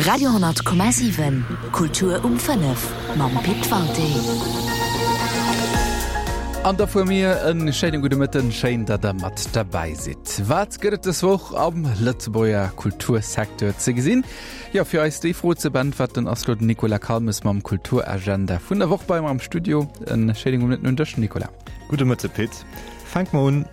Radio,7 Kultur um 5 mam Pit Walté. An da vu mir en schéine gudde Mëtten, schéin, datt der mat derbäi sidd. Wat gëtt et dës Woch am Lëtzebuerger Kultursecteur ze gesinn? Jo, fir eis déi Fro ze beäntwerten, ass lo den Nicolas Calmes mam Kulturagenda vun der Woch bei mer am Studio. En schéine gudde Mëtten un dech, Nicolas. Gudde Mëtte, Pit. Fänke mer un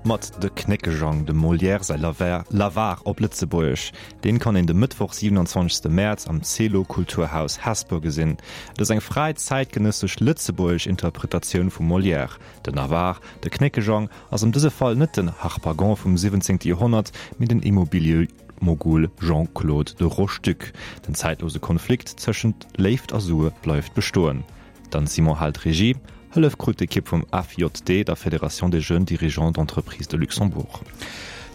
mat De Knéckejang, dem Molière säi L'Avare op Lëtzebuergesch. Deen kann een de Mëttwoch 27 Mäerz am Celo Kulturhaus Hesper gesinn. Et ass eng fräi zäitgenëssesch lëtzebuergesch Interpretatioun vum Molière. Den Avare, de Knéckejang, ass an dëse Fall net den Harpagon vum 17. Joerhonnert, mee den Immobiliëmogul Jean-Claude de Rocheduc. Den zäitlose Konflikt tëschent Léift a Sue bleift bestoen. D'Anne Simon hält Regie. Hëllef krut d'Ekipp vum FJD, der Fédération des Jeunes Dirigeants d'Entreprises de Luxembourg.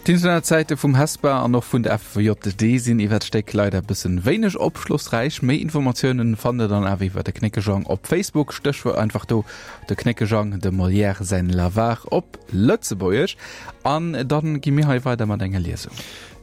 D'Internetsäite vum Hesper an och vun der FJD sinn iwwer d'Stéck leider e bëssen wéineg opschlossräich. Méi Informatiounen fannt der dann awer iwwer de Knéckejang op Facebook, Stéchwuert einfach do de Knéckejang, dem Molière säin L'Avare op Lëtzebuergesch. An dann gi mir hei weider mat enger Liesung.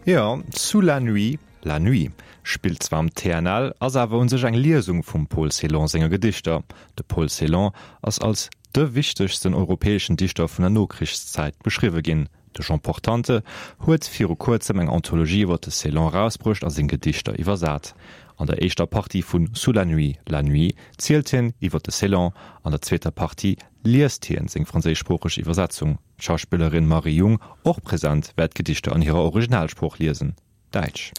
Jo, Sous la nuit, La Nuit spillt zwar am TNL, ass awer un sech eng Liesung vum Paul Celan senge Gedichter. De Paul Celan ass als de wichtegsten europäeschen Dichter vun der Nokrichszäit beschriwwe ginn. De Jean Portante huet viru kuerzem eng Anthologie iwwer de Celan erausbruecht a seng Gedichter iwwersat. An der éischter Partie vu Sous la nuit, la nuit zielt hien iwwer de Celan, an der zweeter Partie liest hien seng franséischsproocheg Iwwersetzung. D'Schauspillerin Marie Jung, och present, wäert d'Gedichter an hirer Originalsprooch liesen. Däitsch.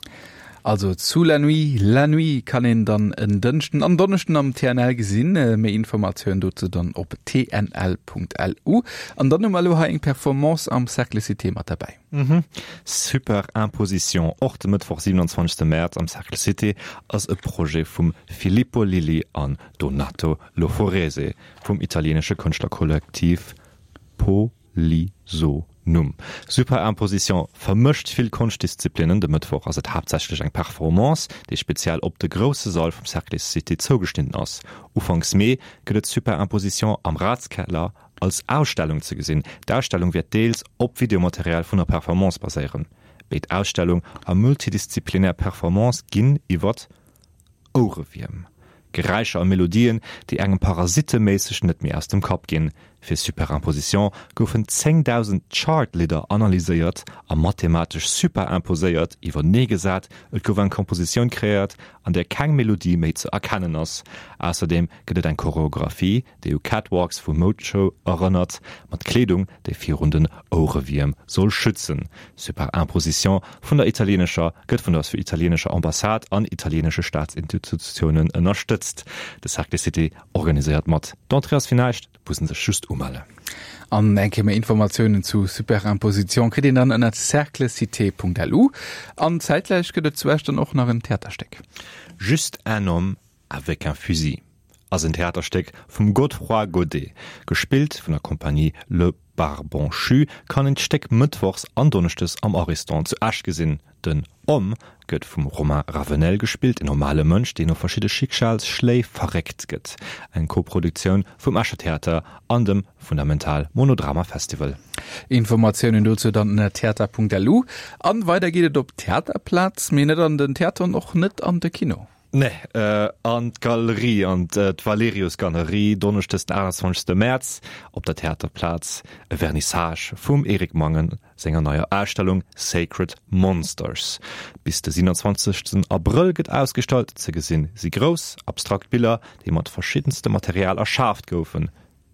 Also zu La Nuit, La Nuit kann een dann en Dënschden an Donneschden am TNL gesinn. Méi Informatioun dozou dann op tnl.lu. An dann hu mer elo hei eng Performance am Cercle Cité mat derbäi. Mhm. Superimposition, och de Mëttwoch 27 Mäerz am Cercle Cité, ass e Projet vum Filippo Lilli an Donato Loforese vum italienesche Kënschtlerkollektiv Po. Li-So-Num. Superimposition vermëscht vill Konschtdisziplinnen. De Mëttwoch ass et haaptsächlech eng Performance, déi speziell op de grousse Sall vum Cercle Cité zougeschnidden ass. Ufanks Mee gëtt et Superimposition am Ratskeller als Ausstellung ze gesinn. D'Ausstellung wäert deels op Videomaterial vun der Performance baséieren. Béid Ausstellung a multidisziplinär Performance ginn iwwert Ouerewierm, Geräischer a Melodien, déi engem parasiteméisseg net méi aus dem Kapp ginn. Fir Superimposition goufen 10.000 Chart-Lidder analyséiert a mathematesch superimposéiert iwwerneegesat. Et gouf eng Kompositioun kreéiert, an där keng Melodie méi ze erkennen ass. Ausserdeem gëtt et eng Choreographie, déi u Catwalks vu Moudeshow erënnert, mat Kleedung, déi virun den Ouerewierm soll schützen. Superimposition vun der italienescher gëtt vun der italienescher Ambassade an italienesche Staatsinstitutiounen ënnerstëtzt. De Cercle Cité organiséiert mat. D'Entrée ass fir näischt, et muss en sech just umellen. An eng Kéier méi Informatiounen zu Superimposition kritt een dann ënnert cerclecité.lu. An zäitgläich gëtt et zu Esch dann och nach en Theaterstéck. Juste un homme avec un fusil ass en Theaterstéck vum Godefroid Godet. Gespillt vun der Compagnie Le Barbanchu, kann een d'Stéck mëttwochs an donneschdes am Ariston zu Esch gesinn. Den Homme gëtt vum Romain Ravenel gespillt, en normale Mënsch, deen no verschidde Schicksalsschléi verréckt gëtt. Eng Koproduktioun vum Escher Theater an dem Fundamental Monodrama Festival. Informatiounen dozou dann ënner theater.lu. An weider geet et op d'Theaterplaz, mee net an den Theater an och net an de Kino. Nee, an d'Galerie, an d'Valerius-Galerie, Donneschdes den 28 Mäerz op der Theaterplaz e Vernissage vum Eric Mangen senger neier Ausstellung Sacred Monsters. Bis de 27 Abrëll gëtt ausgestallt. Ze gesinn si grouss, abstrakt Biller, déi mat verschiddenstem Material erschaaft goufen.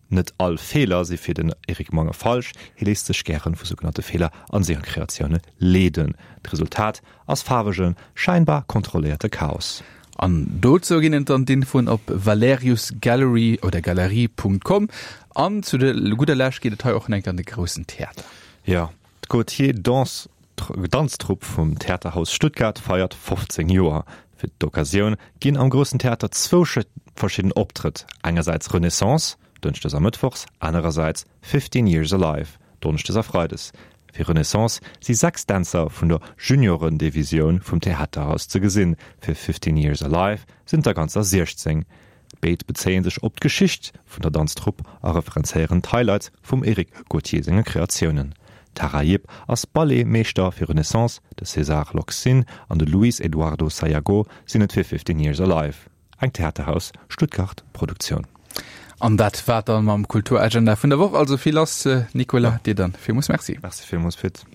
Net all Feeler si fir den Eric Mange falsch, hie léisst sech gären vu sougenannte Feeler an senger Kreatioune leeden. D'Resultat ass faarwegen, scheinbar kontrolléierte Chaos. An dozou ginn et dann d'Infoen op valeriusgallery oder galerie.com. An zu de gudder Lescht geet et hei och enk an de Groussen Theater. Jo, D'Gauthier Danse Danztrupp vum Theaterhaus Stuttgart feiert 15 Joer. Fir d'Occasioun ginn am Groussen Theater zwou verschidden Optrëtt, engersäits Renaissance, dënschdes a mëttwochs, anerersäits 15 Years Alive, donneschdes a freides. Fir Renaissance si 6 Dänzer vun der Juniorendivisioun vum Theaterhaus ze gesinn, fir 15 Years Alive sinn et der ganzer 16. Béid bezéie sech op d'Geschicht vun der Danztrupp a referenzéieren d'Highlights vum Eric Gauthier senge Kreatiounen. D'Tara Yip ass Ballet-Meeschter fir Renaissance, de César Loxin an de Luis Eduardo Sayago sinn et fir 15 Years Alive, eng Theaterhaus Stuttgart Produktioun. An dat war dann mam Kulturagenda vun der Woch. Also vill lass, Nicolas, dir dann villmools Merci. Merci villmools, Pit.